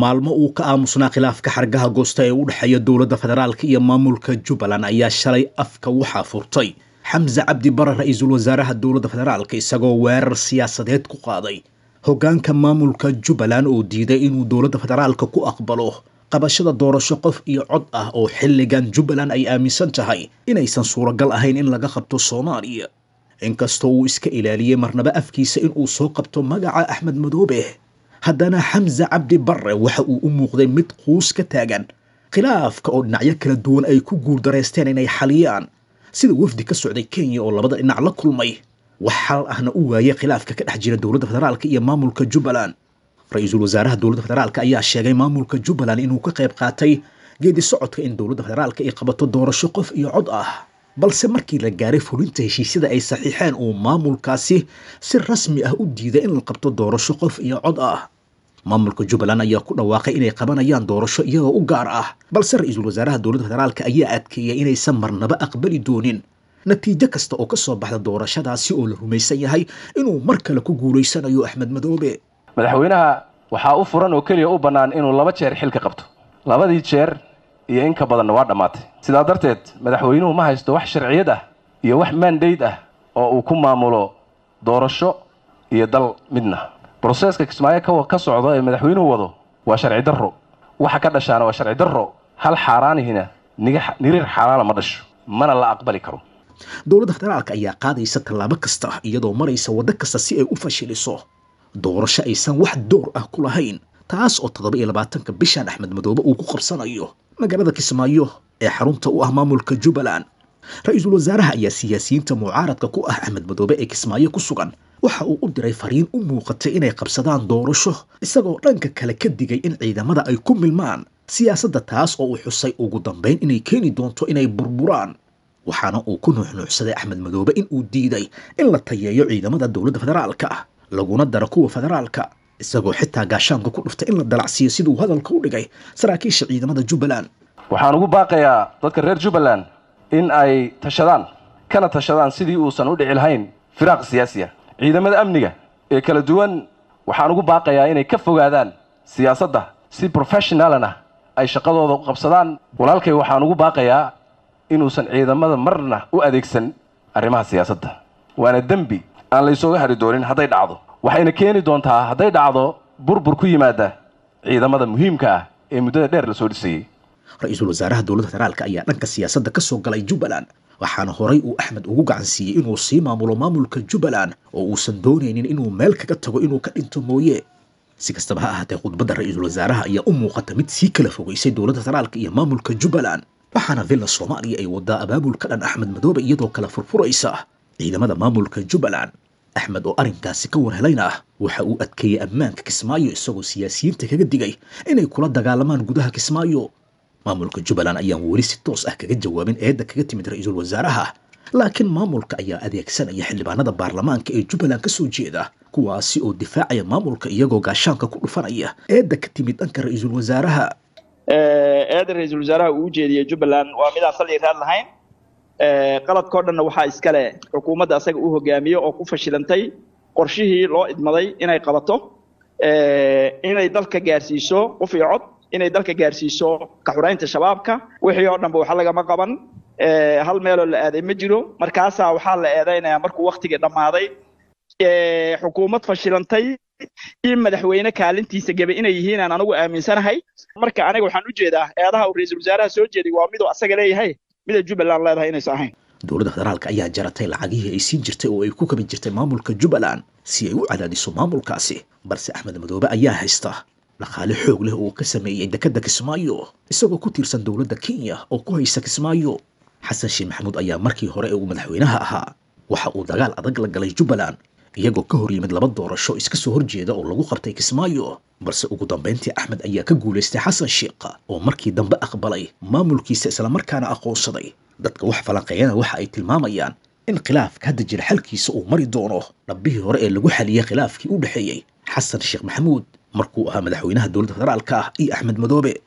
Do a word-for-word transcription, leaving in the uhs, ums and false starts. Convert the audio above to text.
Maalmo uu ka aamusnaa khilaafka xargaha goosta ee u dhexeeya dowladda federaalka iyo maamulka Jubbaland ayaa shalay afka waxaa furtay Xamse Cabdi Bare, ra-iisul wasaaraha dowladda federaalka, isagoo weerar siyaasadeed ku qaaday hoggaanka maamulka Jubbaland oo diiday inuu dowladda federaalka ku aqbalo qabashada doorasho qof iyo cod ah oo xilligan Jubbaland ay aaminsan tahay inaysan suuragal ahayn in laga qabto Soomaaliya. Inkastoo uu iska ilaaliyey marnaba afkiisa inuu soo qabto magaca Axmed Madoobe, haddana Xamse Cabdi Barre waxa uu u muuqday mid quus ka taagan khilaafka oo dhinacyo kala duwan ay ku guuldareysteen inay xaliyaan, sida wafdi ka socday Kenya oo labada dhinac la kulmay, wax xal ahna u waayay khilaafka ka dhex jira dowladda federaalka iyo maamulka Jubbaland. Ra-iisul wasaaraha dowladda federaalka ayaa sheegay maamulka Jubbaland inuu ka qayb qaatay geedi socodka in dowladda federaalka ay qabato doorasho qof iyo cod ah, balse markii la gaaray fulinta heshiisyada ay saxiixeen uu maamulkaasi si rasmi ah u diiday in la qabto doorasho qof iyo cod ah. Maamulka Jubbaland ayaa ku dhawaaqay inay qabanayaan doorasho iyagoo u gaar ah, balse ra-iisul wasaaraha dowladda federaalka ayaa adkeeyay inaysan marnaba aqbali doonin natiijo kasta oo ka soo baxda doorashadaasi oo la rumaysan yahay inuu mar kale ku guulaysanayo Axmed Madoobe. Madaxweynaha waxaa u furan oo keliya u bannaan inuu laba jeer xilka qabto, labadii jeer iyo in ka badanna waa dhammaatay. Sidaa darteed madaxweynuhu ma haysto wax sharciyad ah iyo wax mandate ah oo uu ku maamulo doorasho iyo dal midna. Broseeska Kismaayo ka socdo ee madaxweynuhu wado waa sharci darro, waxa ka dhashaana waa sharci darro. Hal xaaraanihina niriir xaaraana ma dhasho, mana la aqbali karo. Dowladda federaalka ayaa qaadaysa tallaabo kasta iyadoo maraysa waddo kasta si ay u fashiliso doorasho aysan wax door ah ku lahayn, taas oo toddoba iyo labaatanka bishan Axmed Madoobe uu ku qabsanayo magaalada Kismaayo ee xarunta u ah maamulka Jubbaland. Ra-iisul wasaaraha ayaa siyaasiyiinta mucaaradka ku ah Axmed Madoobe ee Kismaayo ku sugan waxa uu u diray fariin u muuqatay inay qabsadaan doorasho, isagoo dhanka kale ka digay in ciidamada ay ku milmaan siyaasadda, taas oo uu xusay ugu dambayn inay keeni doonto inay burburaan. Waxaana uu ku nuuxnuuxsaday Axmed Madoobe in uu diiday in la tayeeyo ciidamada dowladda federaalka ah laguna daro kuwa federaalka, isagoo xitaa gaashaanka ku dhuftay in la dalacsiiyo siduu hadalka u dhigay saraakiisha ciidamada Jubbaland. Waxaan ugu baaqayaa dadka reer Jubbaland in ay tashadaan, kana tashadaan sidii uusan u dhici lahayn firaaq siyaasi ah. Ciidamada amniga ee kala duwan waxaan ugu baaqayaa inay ka fogaadaan siyaasadda, si professionalna ay shaqadooda u qabsadaan. Walaalkay waxaan ugu baaqayaa inuusan ciidamada marna u adeegsan arrimaha siyaasadda, waana dembi aan la isooga hari doonin hadday dhacdo, waxayna keeni doontaa hadday dhacdo burbur ku yimaada ciidamada muhiimka ah ee muddada dheer la soo dhisayey. Ra-iisul wasaaraha dowladda federaalka ayaa dhanka siyaasadda ka soo galay Jubbaland, waxaana horay uu Axmed ugu gacan siiyey inuu sii maamulo maamulka Jubbaland oo uusan doonaynin inuu meel kaga tago inuu ka dhinto mooye. Si kastaba ha ahaatee, khudbadda ra-iisul wasaaraha ayaa u muuqata mid sii kala fogeysay dowladda federaalka iyo maamulka Jubbaland, waxaana Villa Soomaaliya ay wadaa abaabul ka dhan Axmed Madoobe iyadoo kala furfuraysa ciidamada maamulka Jubbaland. Axmed oo arrinkaasi ka warhelayna waxa uu adkeeyey ammaanka Kismaayo, isagoo siyaasiyiinta kaga digay inay kula dagaalamaan gudaha Kismaayo. Maamulka Jubbaland ayaan weli si toos ah kaga jawaabin eedda kaga timid ra-iisul wasaaraha, laakiin maamulka ayaa adeegsanaya xildhibaanada baarlamaanka ee Jubbaland ka soo jeeda, kuwaasi oo difaacaya maamulka iyagoo gaashaanka ku dhufanaya eedda ka timid dhanka ra-iisul wasaaraha. Eedda ra-iisul wasaaraha uu ujeediyey Jubbaland waa midaan sal iyo raad lahayn. Qaladkao dhanna waxaa iskale xukuumadda asaga uu hogaamiyo oo ku fashilantay qorshihii loo idmaday inay qabato, inay dalka gaarsiiso qof iyo cod, inay dalka gaarsiiso ka xuraynta shabaabka. Wixii oo dhanba waxa lagama qaban, hal meeloo la aaday ma jiro. Markaasaa waxaa la eedaynayaa markuu waktigii dhammaaday xukuumad fashilantay iyo madaxweyne kaalintiisa gabay inay yihiin aan anigu aaminsanahay. Marka aniga waxaan u jeedaa eedaha uu ra-iisul wasaaraha soo jeeday waa miduu asaga leeyahay, mida Jubbaland leedahay inaysan ahayn. Dowladda federaalka ayaa jaratay lacagihii ay siin jirtay oo ay ku kabi jirtay maamulka Jubbaland si ay u cadaadiso maamulkaasi, balse Axmed Madoobe ayaa haysta dhaqaale xoog leh oo ka sameeyey dekedda Kismaayo, isagoo ku tiirsan dowladda Kenya oo ku haysa Kismaayo. Xasan Sheekh Maxamuud ayaa markii hore ee uu madaxweynaha ahaa waxa uu dagaal adag la galay Jubbaland, iyagoo ka hor yimid laba doorasho iska soo horjeeda oo lagu qabtay Kismaayo, balse ugu dambayntii Axmed ayaa ka guulaystay Xasan Sheekh oo markii dambe aqbalay maamulkiisa islamarkaana aqoonsaday. Dadka wax falanqeeyana waxa ay tilmaamayaan in khilaafka hadda jira xalkiisa uu mari doono dhabbihii hore ee lagu xaliyey khilaafkii u dhexeeyey Xasan Sheekh Maxamuud markuu ahaa madaxweynaha dowladda federaalka ah iyo Axmed Madoobe.